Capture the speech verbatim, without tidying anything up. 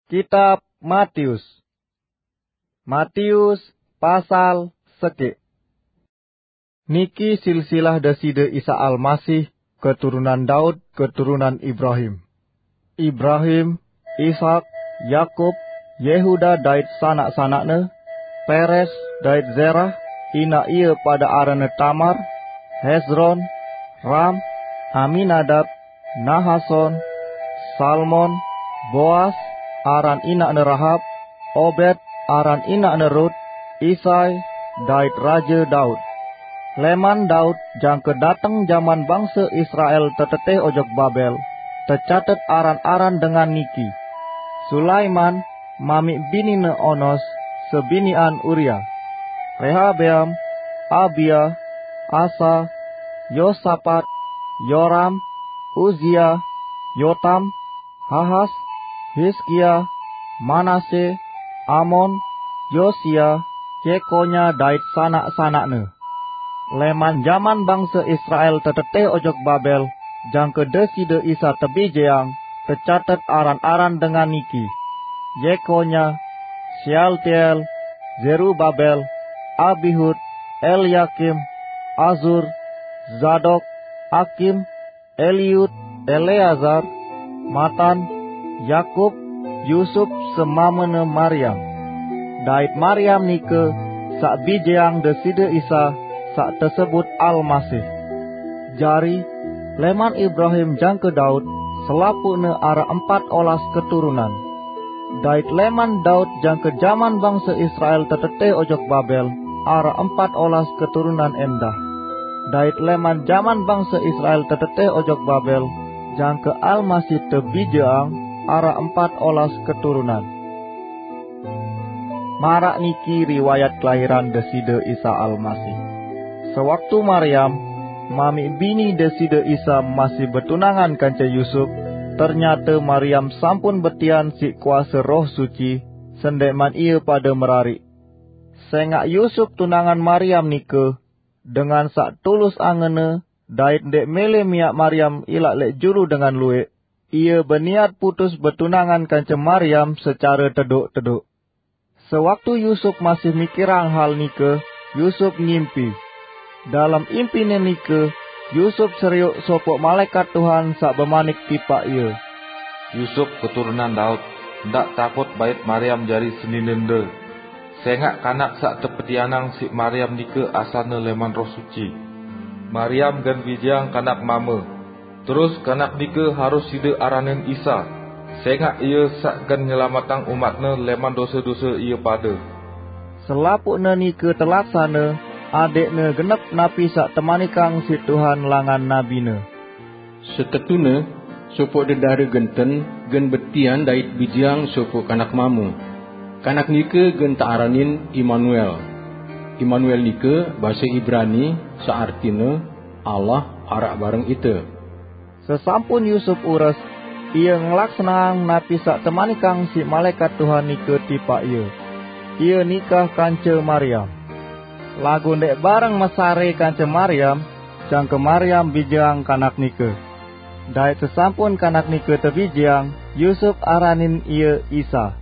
Kitab Matius. Matius pasal sekik. Niki silsilah Deside Isa Almasih, keturunan Daud, keturunan Ibrahim. Ibrahim, Ishak, Yakub, Yehuda dait sanak-sanakne, Peres dait Zerah, ina ie pada aranne Tamar, Hezron, Ram, Aminadab, Nahason, Salmon, Boas, aran inakne Rahab, Obed, aran inakne Rut, Isai, dait Raja Daud. Leman Daud jangke dateng jaman bangse Israel teteteh ojok Babel, tecatet aran-aran dengan niki: Sulaiman, mami binine Onos, sebinian Uria. Rehabeam, Abia, Asa, Yosapat, Yoram, Uzia, Yotam, Ahas, Hizkia, Manase, Amon, Yosia, Jekonya dait sanak-sanakne. Leman jaman bangse Israel teteteh ojok Babel, jangke Deside Isa tebijeang, tecatet aran-aran dengan niki: Jekonya, Shealtiel, Zerubabel, Abihud, Eliakim, Azur, Zadok, Akim, Eliud, Eleazar, Matan, Yakub, Yusup, semamene Mariam. Dait Mariam nike saq bijeang Deside Isa, saq tesebut Almasih. Jari, leman Ibrahim jangke Daud, selapuqne araq empat olas keturunan. Dait leman Daud jangke jaman bangse Israel teteteh ojok Babel, araq empat olas keturunan endah. Dait leman jaman bangse Israel teteteh ojok Babel, jangke Almasih tebijeang, araq empat olas keturunan. Maraq niki riwayat kelahiran Deside Isa Almasih. Sewaktu Mariam, mami bini Deside Isa, masih betunangan kance Yusup, ternyate Mariam sampun betian siq kuase Roh Suci, sendeqman ie pade merariq. Sengaq Yusup tunangan Mariam nike, dengan saq tulus angenne dait ndeq mele miaq Mariam ilaq leq julu dengan lueq, ie beniat putus betunangan kance Mariam secare tedoq-tedoq. Sewaktu Yusup masih mikirang hal nike, Yusup ngimpi. Dalem impine nike, Yusup serioq sopoq malaekat Tuhan saq bemanik tipaq ie, "Yusup, keturunan Daud, ndaq takut bait Mariam jari seninende, sengaq kanak saq tepetianang siq Mariam nike asalne leman Roh Suci. Mariam gen bijeang kanak mame. Terus kanak nike harus side aranin Isa, sengaq ie saq gen nyelametang umatne leman dose-dose ie pade." Selapuqne nike telaksane, adeqne genep napi saq temanikang siq Tuhan langan nabine. "Setetune, sopoq dedare genten gen betian dait bijeang sopoq kanak mame. Kanak nike gen tearanin Imanuel." Imanuel nike base Ibrani, saq artine, "Allah araq bareng ite." Sesampun Yusup ures, ie ngelaksaneang napi saq temanikang siq malaekat Tuhan nike tipaq ie. Ie nikah kance Mariam. Laguq ndeq bareng mesare kance Mariam, jangke Mariam bijeang kanak nike. Dait sesampun kanak nike tebijeang, Yusup aranin ie Isa.